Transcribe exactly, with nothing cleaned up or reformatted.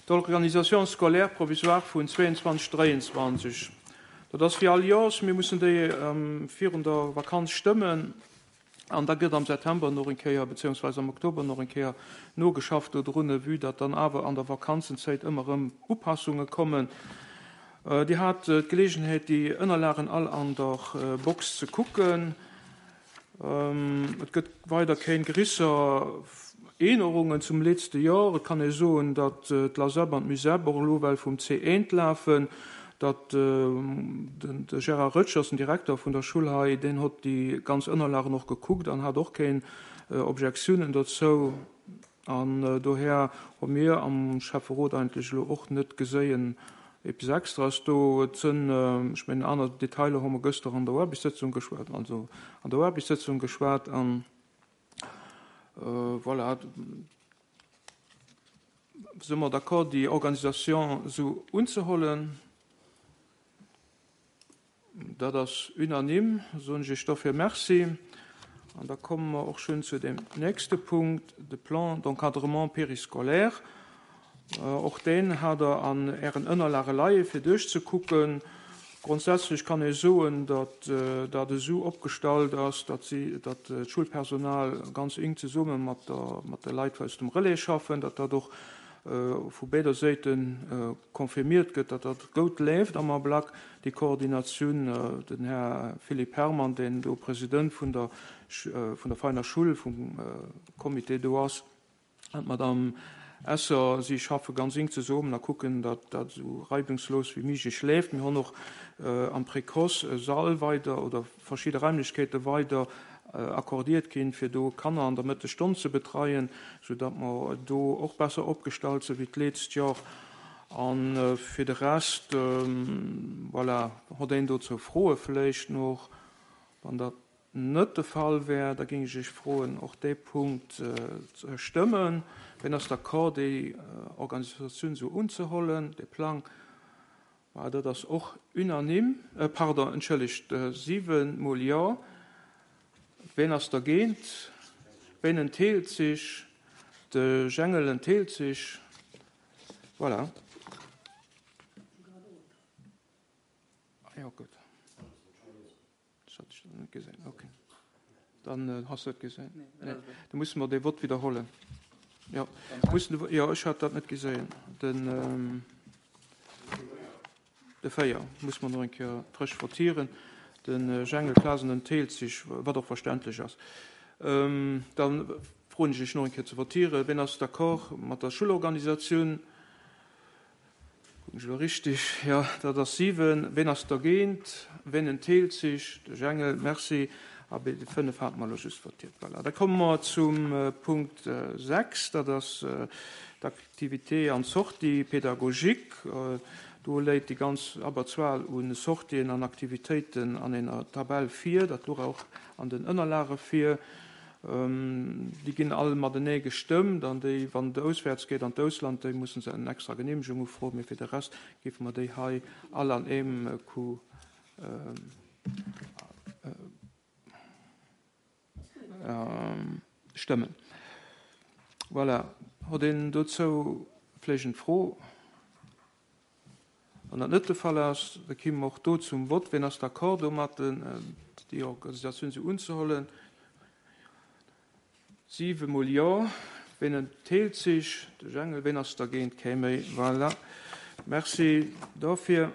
D'Organisation scolaire provisoire vun zwéianzwanzeg, dräianzwanzeg. Dat ass wéi all Joers, mir mussen déi virun der Vakanz stëmmen an da gëtt am September nach eng Kéier, beziehungsweise am Oktober nach eng Kéier nogeschafft dodrun, vue datt dann awer an der Vakanzenzäit ëmmer erëm Upassunge kommen. Dir hat d'Geleegenheet, déi Ënnerlagen all an der Box ze kucken. Et gëtt weider keng grisser Ännerungen zum letzte Joer. Et kann ee soen, datt d'LASEP an d'MUSEP och elo well vum C eent lafen, datt de Gérard Rötsch ass den Direkter vun der Schull hei, deen hott déi ganz Ënnerlagen och gekuckt an hat och keng Objektiounen dozou. An dohär hu mir am Schäfferot eigentlech elo och net geséien eppes Extraes do. Et sënn, ech mengen, aner Detailer hu mer gëschter an der Aarbechtssëtzung geschwat, also an der Aarbechtssëtzung geschwat an voilà, si mer d'accord, déi Organisation esou unzehollen? Dat ass unanime, soen ech Iech dofir Merci. An da komme mer och schonn zu dem nächste Punkt, de Plan d'encadrement périscolaire. Och deen hat Der an Ären Ënnerlage leie fir duerchzekucken. Grondsätzlech kann ee soen, datt dat esou opgestallt ass, datt si, datt d'Schulpersonal ganz enk zesumme mat der, mat de Leit aus dem Relais schaffen, datt dat och vu béider Séite confirmiert gëtt, datt dat goud leeft am Ablack, déi Koordinatioun. Den Här Philippe Herrmann, deen do President vun der, vun der Veiner Schull, vum Comité do ass, an d'Madame Esser, si schaffe ganz enk zesummen a kucken, datt dat esou reibungslos wéi méiglech leeft. Mir hunn och am Précoce e Sall weider oder verschidde Raimlechkeete weider accordiert ginn, fir do Kanner an der Mëttesstonn ze betreien, soudatt mer do och besser opgestallt si wéi d'letzт Joer. A fir de Rest, voilà, hott een dozou Froe vläicht nach? Wann dat net de Fall wär, da géing ech Iech froen, och dee Punkt ze stëmmen. Wien ass d'accord, déi Organisatioun esou unzehollen, dee Plang? Voilà, dat ass och unanime. Pardon, entschëllegt, siwe mol Jo. Wien ass dergéint? Wien entheelt sech? De Jengel entheelt sech. Voilà. Ah jo, gutt. Das hat ich net gesehen. Okay. Dann hast du et gesehen. Nee. Da musse mer dee Vott widderhollen. Ja, mussen, ja, ech hat dat net gesehen. Den, ähm, de véier muss mer nach eng Kéier frësch votieren. Den Jengel Clasen entheelt sech, wat och verständlech ass. Ähm, dann froen ech Iech nach eng Kéier ze votieren. Wien ass d'accord mat der Schulorganisatioun? Kucken ech elo richtig? Ja, dat ass siwen. Wien ass dergéint? Wien entheelt sech? De Jengel, merci. Abee, déi fënnef hate mer elo just votiert. Voilà. Da komme mer zum Punkt sechs, dat ass d'Activité an d'Sortie pédagogique. Do léit déi ganz Abberzuel u Sortien an Aktivitéiten an enger Tabell vir, dat louch och an den Ënnerlage vir. Déi ginn all matenee gestëmmt an déi, wann et auswäerts geet an d'Ausland, déi mussen se eng extra Geneemegung ufroen, mee fir de Rest géife mer déi hei all an eem Coup stëmmen. Voilà. Huet een dozou vläicht eng Fro? Wann dat net de Fall ass, da komme mer och do zum Vott. Wien ass d'accord domat, déi Organisatioun esou unzehollen? Siwe mol Jo. Wien entheelt sech? De Jengel. Wien ass dergéint? Kee méi. Voilà. Merci dofir.